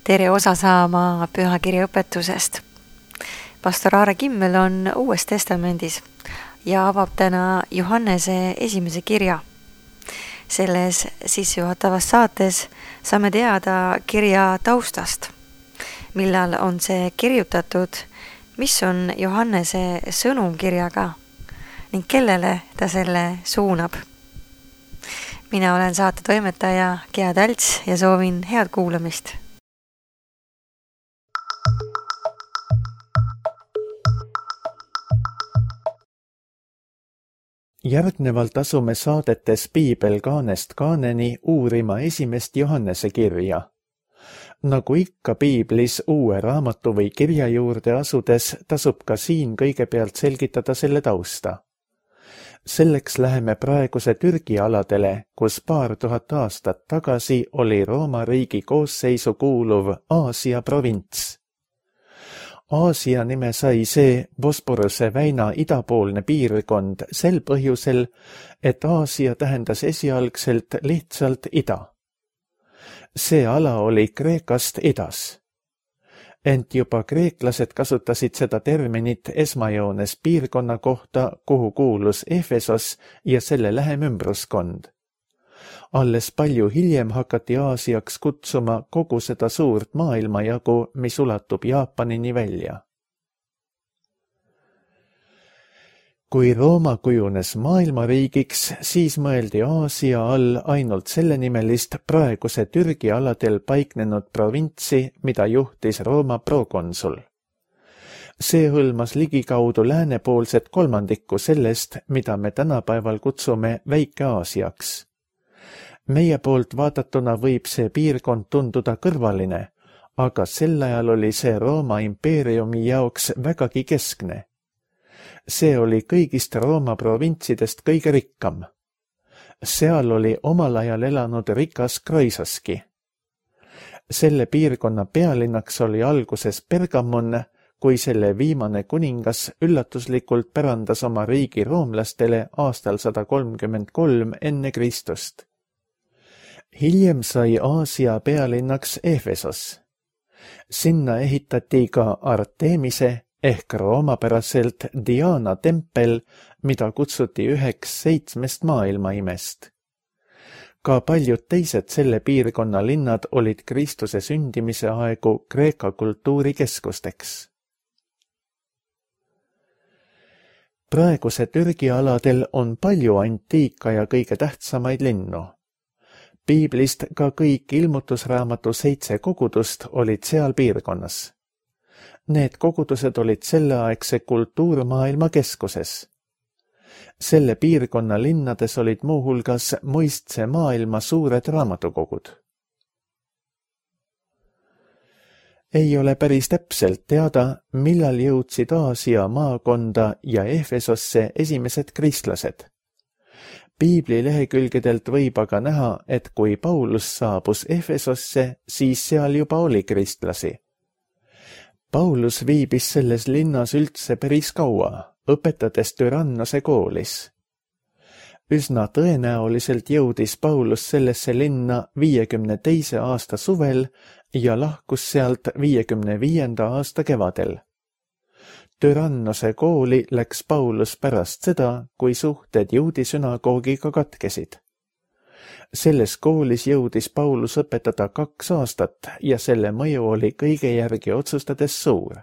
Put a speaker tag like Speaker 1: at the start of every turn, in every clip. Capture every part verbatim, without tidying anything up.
Speaker 1: tere osa saama pühakirja õpetusest. Pastor Aare Kimmel on Uues Testamendis ja avab täna Johannese esimese kirja. Selles sissejuhatavas saates saame teada kirja taustast, millal on see kirjutatud, mis on Johannese sõnum kirjaga ning kellele ta selle suunab. Mina olen saate toimetaja Gea Talts ja soovin head kuulamist.
Speaker 2: Järgnevalt asume saadetes Piibel kaanest kaaneni uurima esimest Johannese kirja. Nagu ikka Piiblis uue raamatu või kirja juurde asudes, tasub ka siin kõigepealt selgitada selle tausta. Selleks läheme praeguse Türgi aladele, kus paar tuhat aastat tagasi oli Rooma riigi koosseisu kuuluv Aasia provints. Aasia nime sai see Bosporuse väina idapoolne piirkond sel põhjusel, et Aasia tähendas esialgselt lihtsalt ida. See ala oli Kreekast idas. Ent juba kreeklased kasutasid seda terminit esmajoones piirkonna kohta, kuhu kuulus Efesos ja selle lähem ümbruskond. Alles palju hiljem hakati Aasiaks kutsuma kogu seda suurt maailmajagu, mis ulatub Jaapanini välja. Kui Rooma kujunes maailmariigiks, siis mõeldi Aasia all ainult sellenimelist praeguse Türgi aladel paiknenud provintsi, mida juhtis Rooma prokonsul. See hõlmas ligikaudu läänepoolset kolmandikku sellest, mida me tänapäeval kutsume Väike-Aasiaks. Meie poolt vaatatuna võib see piirkond tunduda kõrvaline, aga sel ajal oli see Rooma impeeriumi jaoks vägagi keskne. See oli kõigist Rooma provintsidest kõige rikkam. Seal oli omal ajal elanud rikas Kroisoski. Selle piirkonna pealinnaks oli alguses Pergamon, kui selle viimane kuningas üllatuslikult pärandas oma riigi roomlastele aastal sada kolmkümmend kolm enne Kristust. Hiljem sai Aasia pealinnaks Efesos. Sinna ehitati ka Artemise ehk roomapäraselt Diana tempel, mida kutsuti üheks seitsmest maailmaimest. Ka paljud teised selle piirkonna linnad olid Kristuse sündimise aegu Kreeka kultuurikeskusteks. Praeguse Türgi aladel on palju antiika ja kõige tähtsamaid linnu. Piiblist ka kõik ilmutusraamatu seitse kogudust olid seal piirkonnas. Need kogudused olid selleaegse kultuurmaailma keskuses. Selle piirkonna linnades olid muuhulgas muistse maailma suured raamatukogud. Ei ole päris täpselt teada, millal jõudsid Aasia maakonda ja Efesosse esimesed kristlased. Piibli lehekülgedelt võib aga näha, et kui Paulus saabus Efesosse, siis seal juba oli kristlasi. Paulus viibis selles linnas üldse päris kaua, õpetades Tyrannose koolis. Üsna tõenäoliselt jõudis Paulus sellesse linna viiekümne teise aasta suvel ja lahkus sealt viiekümne viienda aasta kevadel. Tyrannose kooli läks Paulus pärast seda, kui suhted juudi sünagoogiga katkesid. Selles koolis jõudis Paulus õpetada kaks aastat ja selle mõju oli kõige järgi otsustades suur.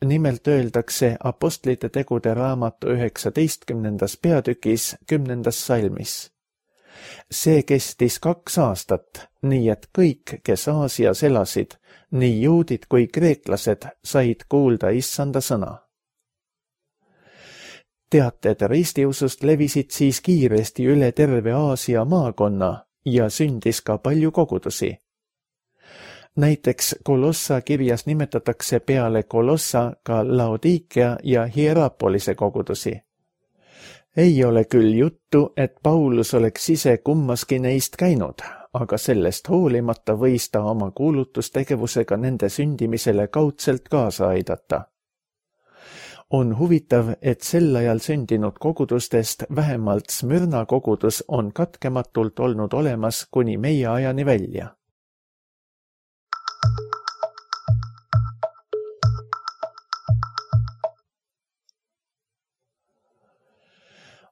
Speaker 2: Nimelt öeldakse Apostlite tegude raamatu üheksateistkümnendas peatükis kümnendas salmis. See kestis kaks aastat, nii et kõik, kes Aasias elasid, nii juudid kui kreeklased, said kuulda issanda sõna. Teated ristiusust levisid siis kiiresti üle terve Aasia maakonna ja sündis ka palju kogudusi. Näiteks Kolossa kirjas nimetatakse peale Kolossa ka Laodikea ja Hierapolise kogudusi. Ei ole küll juttu, et Paulus oleks ise kummaski neist käinud, aga sellest hoolimata võis ta oma kuulutustegevusega nende sündimisele kaudselt kaasa aidata. On huvitav, et sel ajal sündinud kogudustest vähemalt Smyrna kogudus on katkematult olnud olemas kuni meie ajani välja.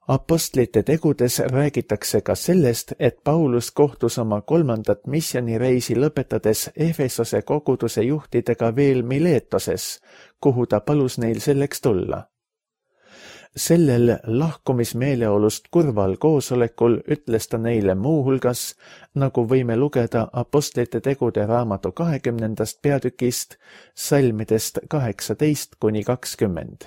Speaker 2: Apostlite tegudes räägitakse ka sellest, et Paulus kohtus oma kolmandat missioonireisi lõpetades Efesose koguduse juhtidega veel Miletoses, kuhu ta palus neil selleks tulla. Sellel lahkumismeeleolust kurval koosolekul ütles ta neile muuhulgas, nagu võime lugeda Apostlite tegude raamatu kahekümnendast peatükist, salmidest kaheksateist kuni kakskümmend.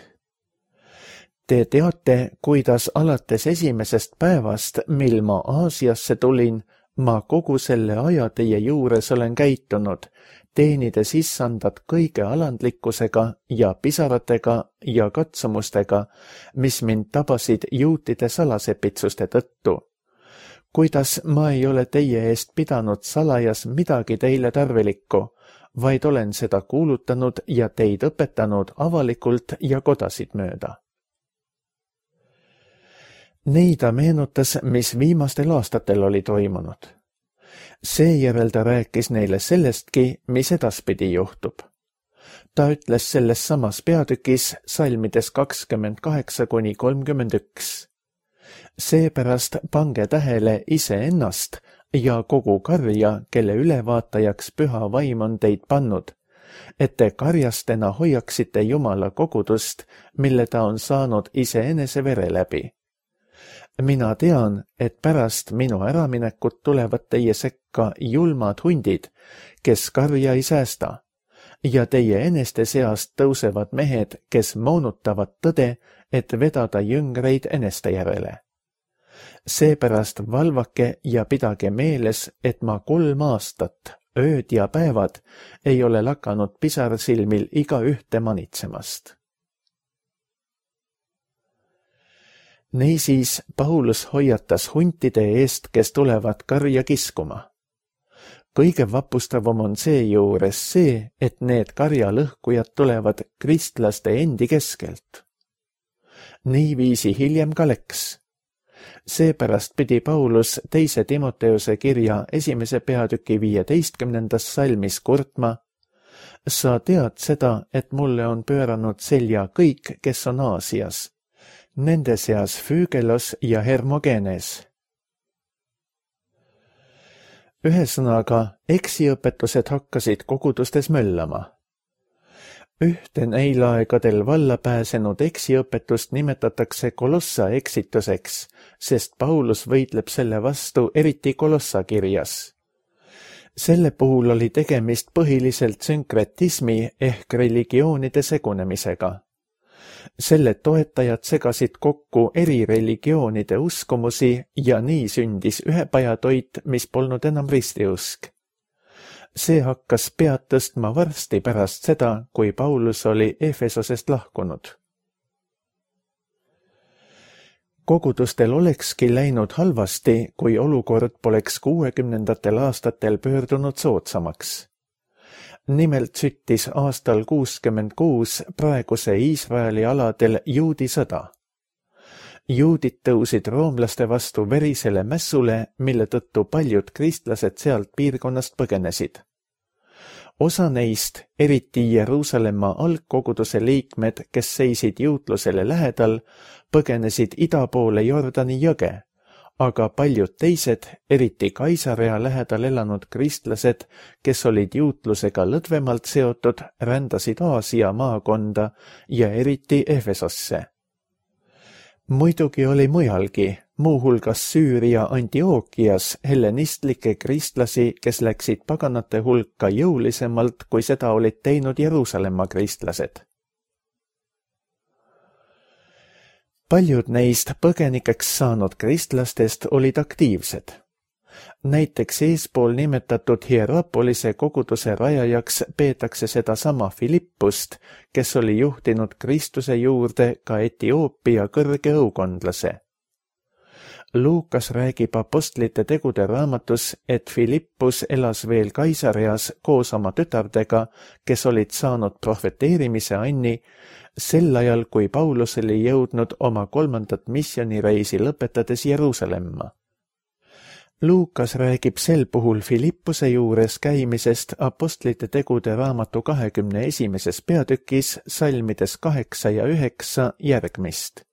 Speaker 2: Te teate, kuidas alates esimesest päevast, mil ma Aasiasse tulin, ma kogu selle aja teie juures olen käitunud, teenides issandat kõige alandlikkusega ja pisaratega ja katsumustega, mis mind tabasid juutide salasepitsuste tõttu. Kuidas ma ei ole teie eest pidanud salajas midagi teile tarvilikku, vaid olen seda kuulutanud ja teid õpetanud avalikult ja kodasid mööda. Nii ta meenutas, mis viimastel aastatel oli toimunud. Seejärel ta rääkis neile sellestki, mis edaspidi juhtub. Ta ütles selles samas peatükis salmides kakskümmend kaheksa kuni kolmkümmend üks. Seepärast pange tähele iseennast ja kogu karja, kelle ülevaatajaks püha vaim on teid pannud, et te karjastena hoiaksite Jumala kogudust, mille ta on saanud iseenese vere läbi. Mina tean, et pärast minu äraminekut tulevad teie sekka julmad hundid, kes karja ei säästa, ja teie eneste seast tõusevad mehed, kes moonutavad tõde, et vedada jüngreid eneste järele. Seepärast valvake ja pidage meeles, et ma kolm aastat, ööd ja päevad, ei ole lakanud pisarsilmil iga ühte manitsemast. Niisiis Paulus hoiatas huntide eest, kes tulevad karja kiskuma. Kõige vapustavam on seejuures see, et need karjalõhkujad tulevad kristlaste endi keskelt. Niiviisi hiljem ka läks. Seepärast pidi Paulus teise Timoteuse kirja esimese peatüki viieteistkümnendas salmis kurtma: sa tead seda, et mulle on pööranud selja kõik, kes on Aasias, nende seas Füügelos ja Hermogenes. Ühesõnaga, eksiõpetused hakkasid kogudustes möllama. Ühte neil aegadel valla pääsenud eksiõpetust nimetatakse Kolossa eksituseks, sest Paulus võitleb selle vastu eriti Kolossa kirjas. Selle puhul oli tegemist põhiliselt sünkretismi ehk religioonide segunemisega. Selle toetajad segasid kokku eri religioonide uskumusi ja nii sündis ühepajatoit, mis polnud enam ristiusk. See hakkas pead tõstma varsti pärast seda, kui Paulus oli Efesosest lahkunud. Kogudustel olekski läinud halvasti, kui olukord poleks kuuekümnendatel aastatel pöördunud soodsamaks. Nimelt süttis aastal kuuskümmend kuus praeguse Iisraeli aladel juudi sõda. Juudid tõusid roomlaste vastu verisele mässule, mille tõttu paljud kristlased sealt piirkonnast põgenesid. Osa neist, eriti Jeruusalemma algkoguduse liikmed, kes seisid juutlusele lähedal, põgenesid ida poole Jordani jõge, aga paljud teised, eriti Kaisarea lähedal elanud kristlased, kes olid juutlusega lõdvemalt seotud, rändasid Aasia maakonda ja eriti Efesosse. Muidugi oli mujalgi, muuhulgas Süüria Antiookias, hellenistlikke kristlasi, kes läksid paganate hulka jõulisemalt, kui seda olid teinud Jeruusalemma kristlased. Paljud neist põgenikeks saanud kristlastest olid aktiivsed. Näiteks eespool nimetatud Hierapolise koguduse rajajaks peetakse sedasama Filippust, kes oli juhtinud Kristuse juurde ka Etioopia kõrge õukondlase. Luukas räägib Apostlite tegude raamatus, et Filippus elas veel Kaisareas koos oma tütardega, kes olid saanud prohveteerimise anni, sel ajal, kui Paulus oli jõudnud oma kolmandat missioonireisi lõpetades Jeruusalemma. Luukas räägib sel puhul Filippuse juures käimisest Apostlite tegude raamatu kahekümne esimeses peatükis salmides kaheksa ja üheksa järgmist.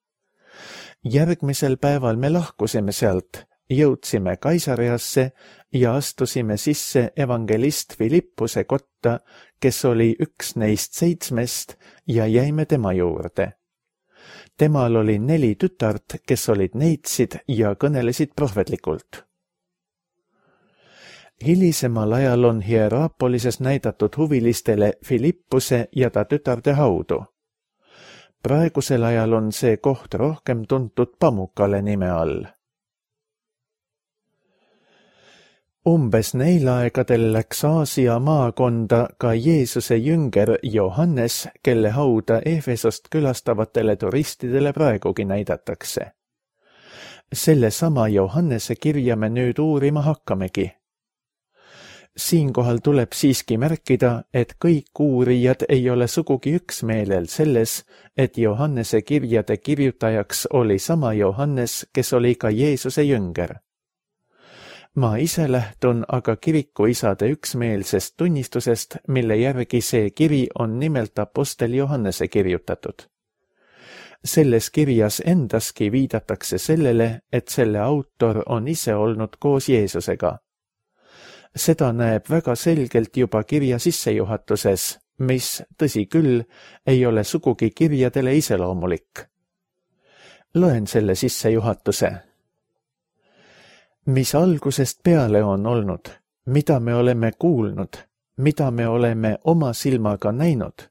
Speaker 2: Järgmisel päeval me lahkusime sealt, jõudsime Kaisariasse ja astusime sisse evangelist Filippuse kotta, kes oli üks neist seitsmest, ja jäime tema juurde. Temal oli neli tütart, kes olid neitsid ja kõnelesid prohvetlikult. Hilisemal ajal on Hieraapolises näidatud huvilistele Filippuse ja ta tütarde haudu. Praegusel ajal on see koht rohkem tuntud Pamukale nime all. Umbes neil aegadel läks Aasia maakonda ka Jeesuse jünger Johannes, kelle hauda Efesost külastavatele turistidele praegugi näidatakse. Selle sama Johannese kirja me nüüd uurima hakkamegi. Siinkohal tuleb siiski märkida, et kõik uurijad ei ole sugugi üksmeelel selles, et Johannese kirjade kirjutajaks oli sama Johannes, kes oli ka Jeesuse jünger. Ma ise lähtun aga kirikuisade üksmeelsest tunnistusest, mille järgi see kiri on nimelt apostel Johannese kirjutatud. Selles kirjas endaski viidatakse sellele, et selle autor on ise olnud koos Jeesusega. Seda näeb väga selgelt juba kirja sissejuhatuses, mis, tõsi küll, ei ole sugugi kirjadele iseloomulik. Loen selle sissejuhatuse. Mis algusest peale on olnud, mida me oleme kuulnud, mida me oleme oma silmaga näinud,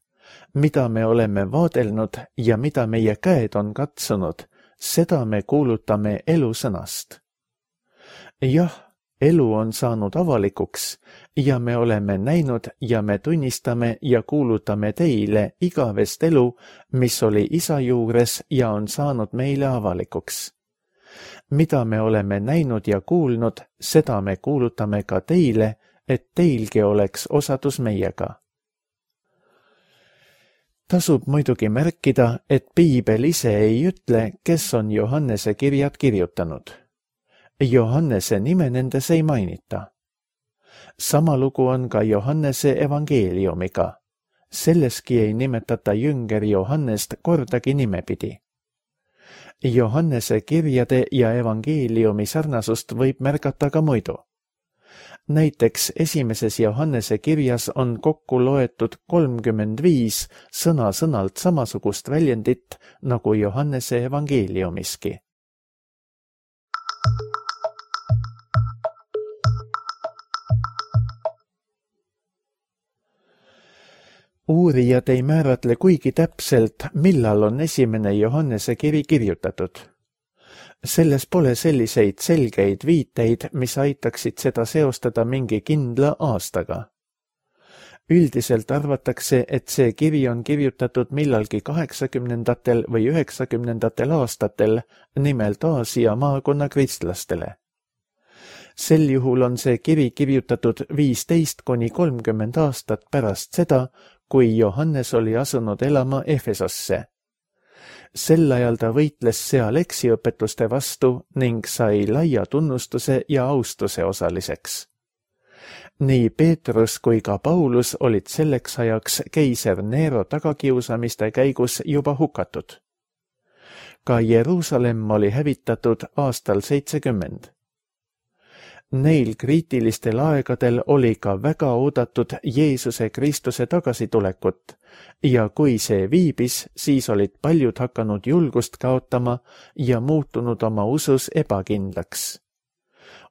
Speaker 2: mida me oleme vaadelnud ja mida meie käed on katsunud, seda me kuulutame elusõnast. Jah, elu on saanud avalikuks ja me oleme näinud ja me tunnistame ja kuulutame teile igavest elu, mis oli isa juures ja on saanud meile avalikuks. Mida me oleme näinud ja kuulnud, seda me kuulutame ka teile, et teilgi oleks osadus meiega. Tasub muidugi märkida, et Piibel ise ei ütle, kes on Johannese kirjad kirjutanud. Johannese nime nendes ei mainita. Sama lugu on ka Johannese evangeeliumiga. Selleski ei nimetata jünger Johannest kordagi nimepidi. Johannese kirjade ja evangeeliumi sarnasust võib märgata ka muidu. Näiteks esimeses Johannese kirjas on kokku loetud kolmkümmend viis sõna-sõnalt samasugust väljendit nagu Johannese evangeeliumiski. Uurijad ei määratle kuigi täpselt, millal on esimene Johannese kiri kirjutatud. Selles pole selliseid selgeid viiteid, mis aitaksid seda seostada mingi kindla aastaga. Üldiselt arvatakse, et see kiri on kirjutatud millalgi kaheksakümnendatel või üheksakümnendatel aastatel, nimelt Aasia maakonna kristlastele. Sel juhul on see kiri kirjutatud viisteist kuni kolmkümmend aastat pärast seda, kui Johannes oli asunud elama Efesosse. Sel ajal ta võitles seal eksiõpetuste vastu ning sai laia tunnustuse ja austuse osaliseks. Nii Peetrus kui ka Paulus olid selleks ajaks keiser Nero tagakiusamiste käigus juba hukatud. Ka Jeruusalemm oli hävitatud aastal seitsekümmend. Neil kriitilistel aegadel oli ka väga oodatud Jeesuse Kristuse tagasitulekut ja kui see viibis, siis olid paljud hakanud julgust kaotama ja muutunud oma usus ebakindlaks.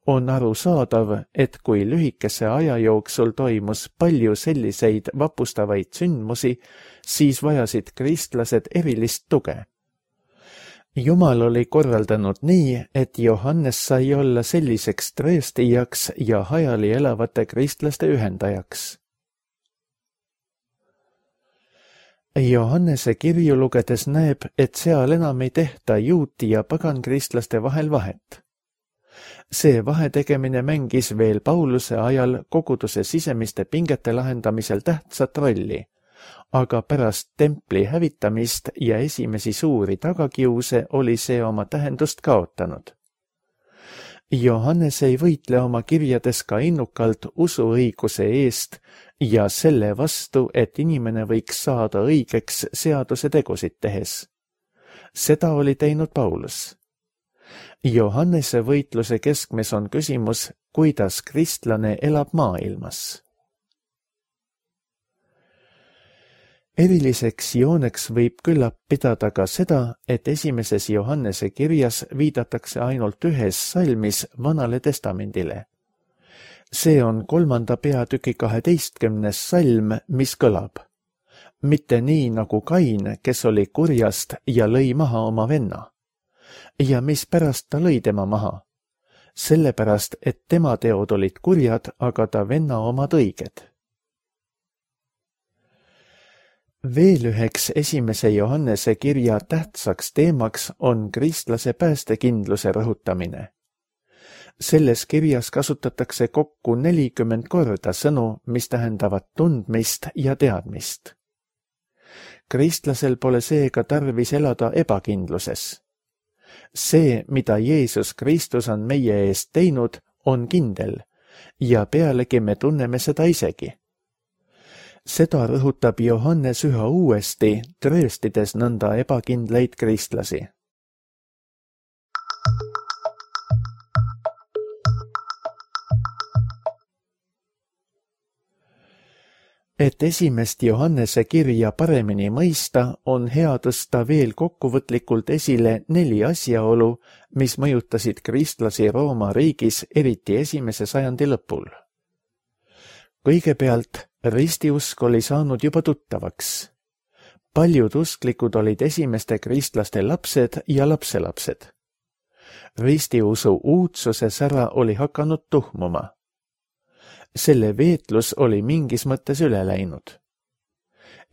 Speaker 2: On arusaadav, et kui lühikese aja jooksul toimus palju selliseid vapustavaid sündmusi, siis vajasid kristlased erilist tuge. Jumal oli korraldanud nii, et Johannes sai olla selliseks tõestijaks ja hajali elavate kristlaste ühendajaks. Johannese kirju lugedes näeb, et seal enam ei tehta juuti ja pagankristlaste vahel vahet. See vahetegemine mängis veel Pauluse ajal koguduse sisemiste pingete lahendamisel tähtsat rolli, aga pärast templi hävitamist ja esimesi suuri tagakiuse oli see oma tähendust kaotanud. Johannes ei võitle oma kirjades ka innukalt usuõiguse eest ja selle vastu, et inimene võiks saada õigeks seaduse tegusid tehes. Seda oli teinud Paulus. Johannese võitluse keskmes on küsimus, kuidas kristlane elab maailmas. Eriliseks jooneks võib küllap pidada ka seda, et esimeses Johannese kirjas viidatakse ainult ühes salmis Vanale testamendile. See on kolmanda peatüki kaheteistkümnes salm, mis kõlab. Mitte nii nagu Kain, kes oli kurjast ja lõi maha oma venna. Ja mispärast ta lõi tema maha? Sellepärast, et tema teod olid kurjad, aga ta venna omad õiged. Veel üheks esimese Johannese kirja tähtsaks teemaks on kristlase päästekindluse rõhutamine. Selles kirjas kasutatakse kokku nelikümmend korda sõnu, mis tähendavad tundmist ja teadmist. Kristlasel pole seega tarvis elada ebakindluses. See, mida Jeesus Kristus on meie eest teinud, on kindel ja pealegi me tunneme seda isegi. Seda rõhutab Johannes üha uuesti, trööstides nõnda ebakindlaid kristlasi. Et esimest Johannese kirja paremini mõista, on hea tõsta veel kokkuvõtlikult esile neli asjaolu, mis mõjutasid kristlasi Rooma riigis, eriti esimese sajandi lõpul. Kõigepealt, ristiusk oli saanud juba tuttavaks. Paljud usklikud olid esimeste kristlaste lapsed ja lapselapsed. Ristiusu uudsuse sära oli hakanud tuhmuma. Selle veetlus oli mingis mõttes üle läinud.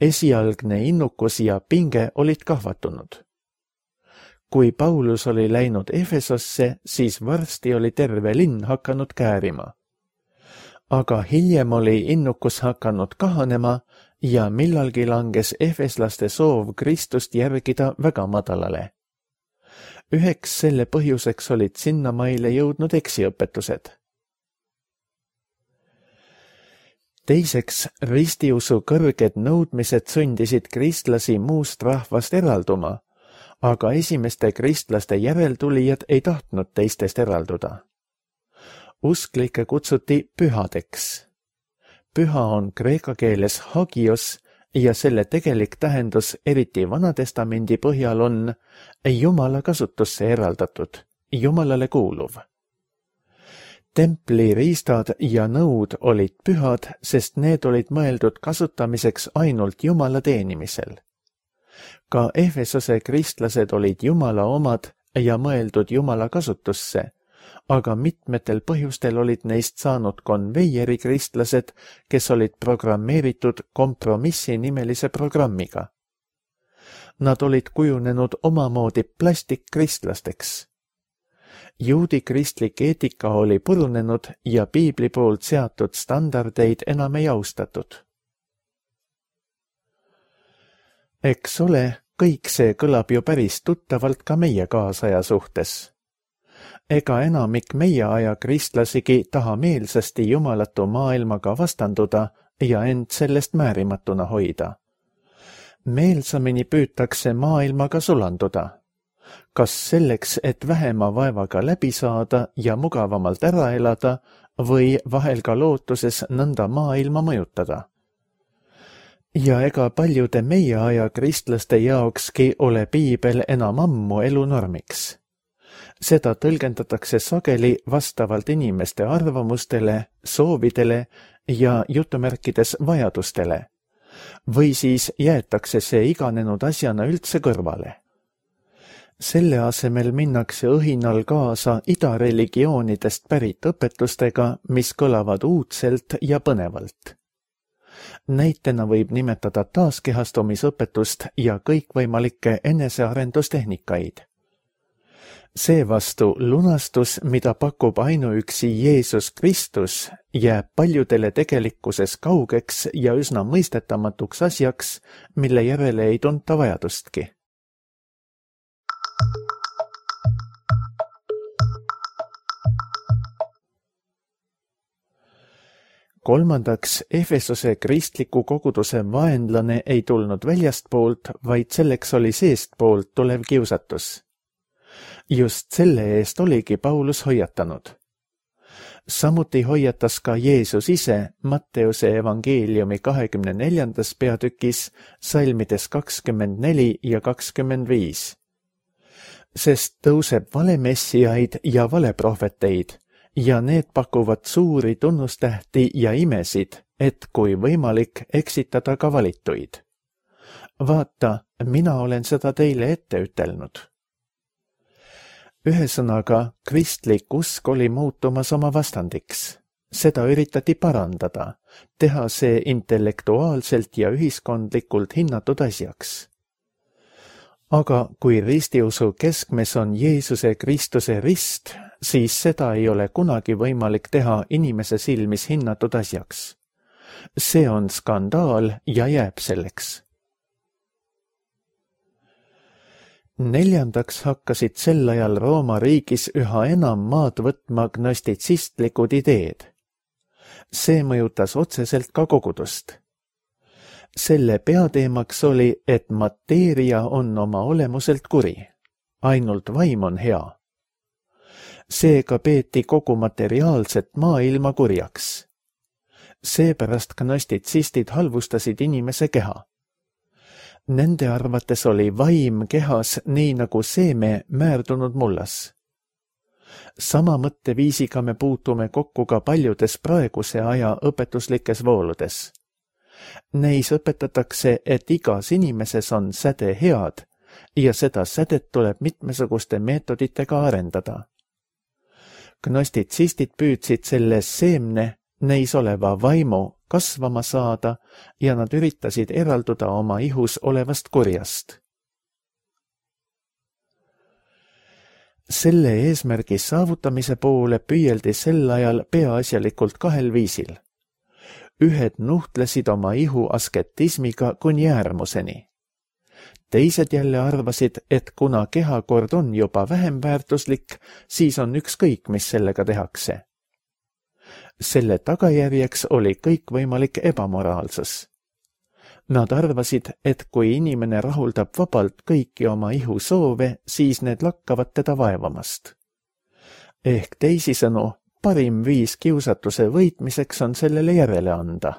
Speaker 2: Esialgne innukus ja pinge olid kahvatunud. Kui Paulus oli läinud Efesosse, siis varsti oli terve linn hakanud käärima. Aga hiljem oli innukus hakanud kahanema ja millalgi langes efeslaste soov Kristust järgida väga madalale. Üheks selle põhjuseks olid sinnamaile jõudnud eksiõpetused. Teiseks, ristiusu kõrged nõudmised sundisid kristlasi muust rahvast eralduma, aga esimeste kristlaste järeltulijad ei tahtnud teistest eralduda. Usklikke kutsuti pühadeks. Püha on kreeka keeles hagios ja selle tegelik tähendus eriti Vanatestamendi põhjal on Jumala kasutusse eraldatud, Jumalale kuuluv. Templi riistad ja nõud olid pühad, sest need olid mõeldud kasutamiseks ainult Jumala teenimisel. Ka Efesose kristlased olid Jumala omad ja mõeldud Jumala kasutusse, aga mitmetel põhjustel olid neist saanud konveieri kristlased, kes olid programmeeritud kompromissi nimelise programmiga. Nad olid kujunenud omamoodi plastikkristlasteks. Juudi kristlik eetika oli purunenud ja piibli poolt seatud standardeid enam ei austatud. Eks ole, kõik see kõlab ju päris tuttavalt ka meie kaasaja suhtes. Ega enamik meie aja kristlasigi taha meelsasti jumalatu maailmaga vastanduda ja end sellest määrimatuna hoida. Meelsamini püütakse maailmaga sulanduda. Kas selleks, et vähema vaevaga läbi saada ja mugavamalt ära elada või vahel ka lootuses nõnda maailma mõjutada. Ja ega paljude meie aja kristlaste jaokski ole piibel enam ammu elunormiks. Seda tõlgendatakse sageli vastavalt inimeste arvamustele, soovidele ja jutumärkides vajadustele. Või siis jäetakse see iganenud asjana üldse kõrvale. Selle asemel minnakse õhinal kaasa idareligioonidest pärit õpetustega, mis kõlavad uudselt ja põnevalt. Näitena võib nimetada taaskehastumisõpetust ja kõikvõimalikke enesearendustehnikaid. Seevastu lunastus, mida pakub ainuüksi Jeesus Kristus, jääb paljudele tegelikkuses kaugeks ja üsna mõistetamatuks asjaks, mille järele ei tunta vajadustki. kolmandaks, Efesose kristliku koguduse vaenlane ei tulnud väljastpoolt, vaid selleks oli seestpoolt tulev kiusatus. Just selle eest oligi Paulus hoiatanud. Samuti hoiatas ka Jeesus ise Matteuse evangeeliumi kahekümne neljandas peatükis salmides kakskümmend neli ja kakskümmend viis. Sest tõuseb valemessiaid ja valeprohveteid ja need pakuvad suuri tunnustähti ja imesid, et kui võimalik eksitada ka valituid. Vaata, mina olen seda teile ette ütelnud. Ühesõnaga, kristlik usk oli muutumas oma vastandiks. Seda üritati parandada, teha see intellektuaalselt ja ühiskondlikult hinnatud asjaks. Aga kui ristiusu keskmes on Jeesuse Kristuse rist, siis seda ei ole kunagi võimalik teha inimese silmis hinnatud asjaks. See on skandaal ja jääb selleks. Neljandaks hakkasid sel ajal Rooma riigis üha enam maad võtma gnostitsistlikud ideed. See mõjutas otseselt ka kogudust. Selle peateemaks oli, et mateeria on oma olemuselt kuri, ainult vaim on hea. Seega peeti kogu materiaalset maailma kurjaks. Seepärast gnostitsistid halvustasid inimese keha. Nende arvates oli vaim kehas nii nagu seeme määrdunud mullas. Sama mõtteviisiga me puutume kokku ka paljudes praeguse aja õpetuslikes vooludes. Neis õpetatakse, et igas inimeses on säde head ja seda sädet tuleb mitmesuguste meetoditega arendada. Gnostitsistid püüdsid selles seemne, neis oleva vaimu kasvama saada ja nad üritasid eralduda oma ihus olevast kurjast. Selle eesmärgi saavutamise poole püüeldi sel ajal peaasjalikult kahel viisil. Ühed nuhtlesid oma ihu asketismiga kuni äärmuseni. Teised jälle arvasid, et kuna kehakord on juba vähem väärtuslik, siis on ükskõik, mis sellega tehakse. Selle tagajärjeks oli kõikvõimalik ebamoraalsus. Nad arvasid, et kui inimene rahuldab vabalt kõiki oma ihu soove, siis need lakkavad teda vaevamast. Ehk teisisõnu, parim viis kiusatuse võitmiseks on sellele järele anda.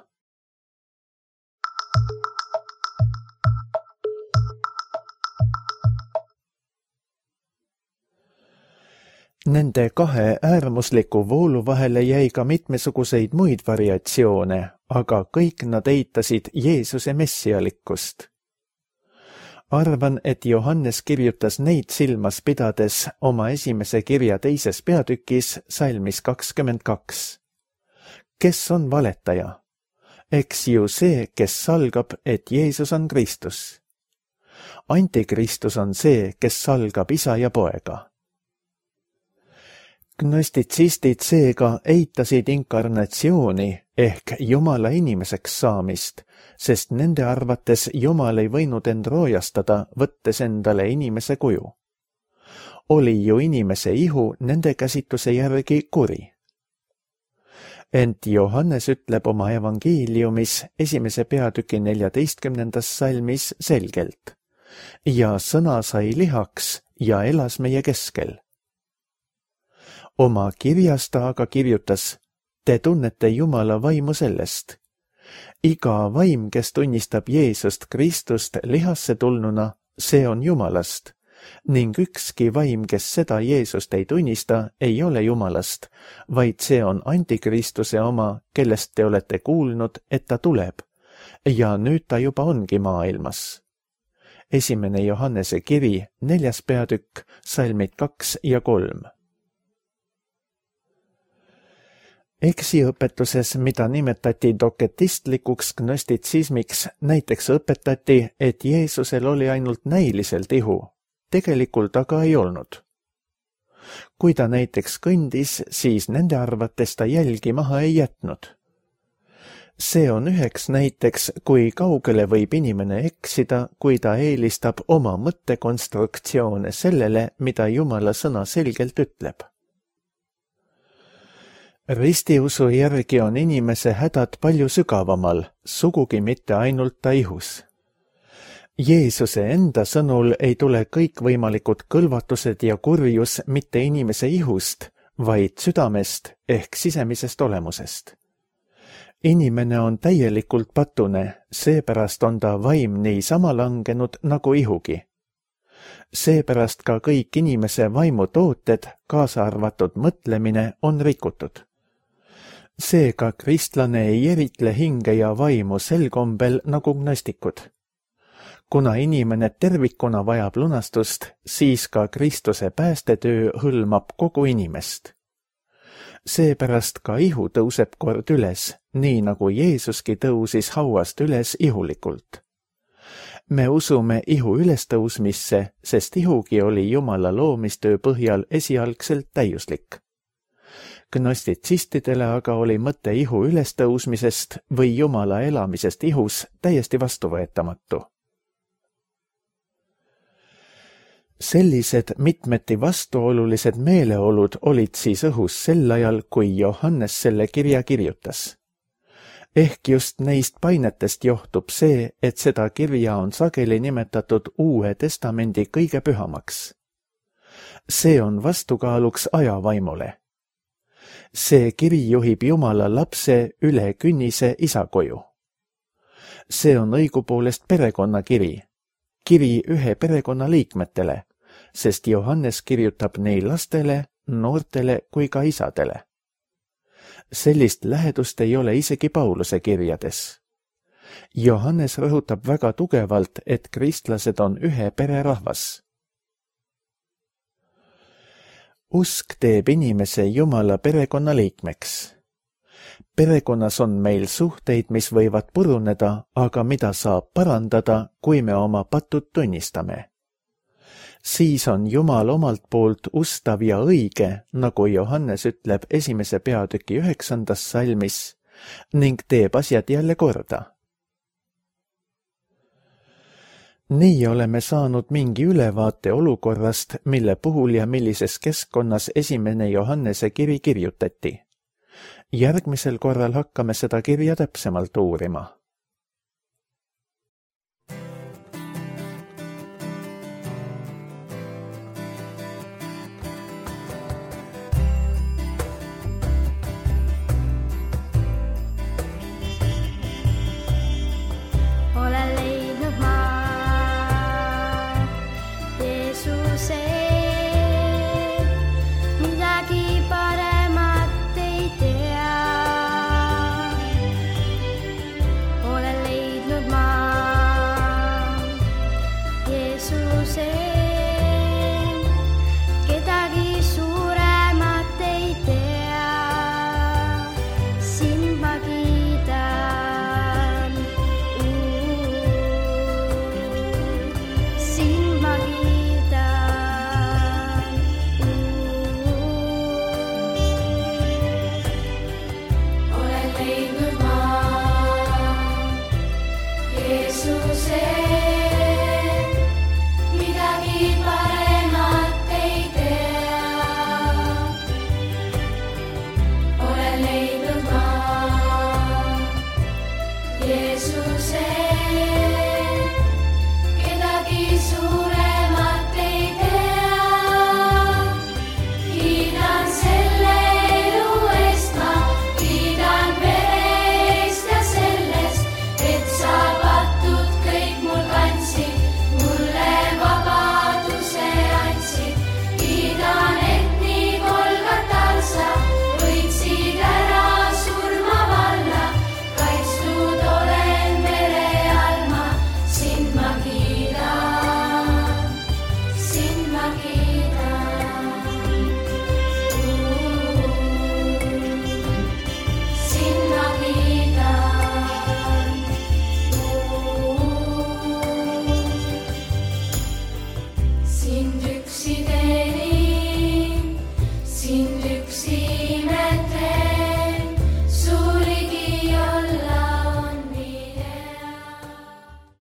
Speaker 2: Nende kahe äärmusliku voolu vahele jäi ka mitmesuguseid muid variatsioone, aga kõik nad eitasid Jeesuse messialikkust. Arvan, et Johannes kirjutas neid silmas pidades oma esimese kirja teises peatükis salmis kakskümmend kaks. Kes on valetaja? Eks ju see, kes salgab, et Jeesus on Kristus. Antikristus on see, kes salgab isa ja poega. Gnostitsistid seega eitasid inkarnatsiooni ehk Jumala inimeseks saamist, sest nende arvates Jumal ei võinud end roojastada, võttes endale inimese kuju. Oli ju inimese ihu nende käsitluse järgi kuri. Ent Johannes ütleb oma evangeeliumis esimese peatüki neljateistkümnendas salmis selgelt. Ja sõna sai lihaks ja elas meie keskel. Oma kirjas ta aga kirjutas, te tunnete Jumala vaimu sellest. Iga vaim, kes tunnistab Jeesust Kristust lihasse tulnuna, see on Jumalast, ning ükski vaim, kes seda Jeesust ei tunnista, ei ole Jumalast, vaid see on antikristuse oma, kellest te olete kuulnud, et ta tuleb, ja nüüd ta juba ongi maailmas. Esimene Johannese kiri, neljas peatükk, salmid kaks ja kolm. Eksiõpetuses, mida nimetati doketistlikuks gnostitsismiks, näiteks õpetati, et Jeesusel oli ainult näiliselt ihu, tegelikult aga ei olnud. Kui ta näiteks kõndis, siis nende arvates ta jälgi maha ei jätnud. See on üheks näiteks, kui kaugele võib inimene eksida, kui ta eelistab oma mõttekonstruktsioone sellele, mida Jumala sõna selgelt ütleb. Ristiusu järgi on inimese hädad palju sügavamal, sugugi mitte ainult ta ihus. Jeesuse enda sõnul ei tule kõikvõimalikud kõlvatused ja kurjus mitte inimese ihust, vaid südamest ehk sisemisest olemusest. Inimene on täielikult patune, seepärast on ta vaim niisama langenud nagu ihugi. Seepärast ka kõik inimese vaimutooted, kaasa arvatud mõtlemine, on rikutud. Seega kristlane ei eritle hinge ja vaimu sel kombel nagu gnostikud. Kuna inimene tervikuna vajab lunastust, siis ka Kristuse päästetöö hõlmab kogu inimest. Seepärast ka ihu tõuseb kord üles, nii nagu Jeesuski tõusis hauast üles ihulikult. Me usume ihu ülestõusmisse, sest ihugi oli Jumala loomistöö põhjal esialgselt täiuslik. Gnostitsistidele aga oli mõte ihu ülestõusmisest või Jumala elamisest ihus täiesti vastuvõetamatu. Sellised mitmeti vastuolulised meeleolud olid siis õhus sel ajal, kui Johannes selle kirja kirjutas. Ehk just neist painetest johtub see, et seda kirja on sageli nimetatud Uue Testamendi kõige pühamaks. See on vastukaaluks ajavaimule. See kiri juhib Jumala lapse üle künnise isa koju. See on õigupoolest perekonnakiri, kiri ühe perekonna liikmetele, sest Johannes kirjutab nii lastele, noortele kui ka isadele. Sellist lähedust ei ole isegi Pauluse kirjades. Johannes rõhutab väga tugevalt, et kristlased on ühe pererahvas. Usk teeb inimese Jumala perekonna liikmeks. Perekonnas on meil suhteid, mis võivad puruneda, aga mida saab parandada, kui me oma patud tunnistame. Siis on Jumal omalt poolt ustav ja õige, nagu Johannes ütleb esimese peatüki üheksandas salmis, ning teeb asjad jälle korda. Nii oleme saanud mingi ülevaate olukorrast, mille puhul ja millises keskkonnas esimene Johannese kiri kirjutati. Järgmisel korral hakkame seda kirja täpsemalt uurima.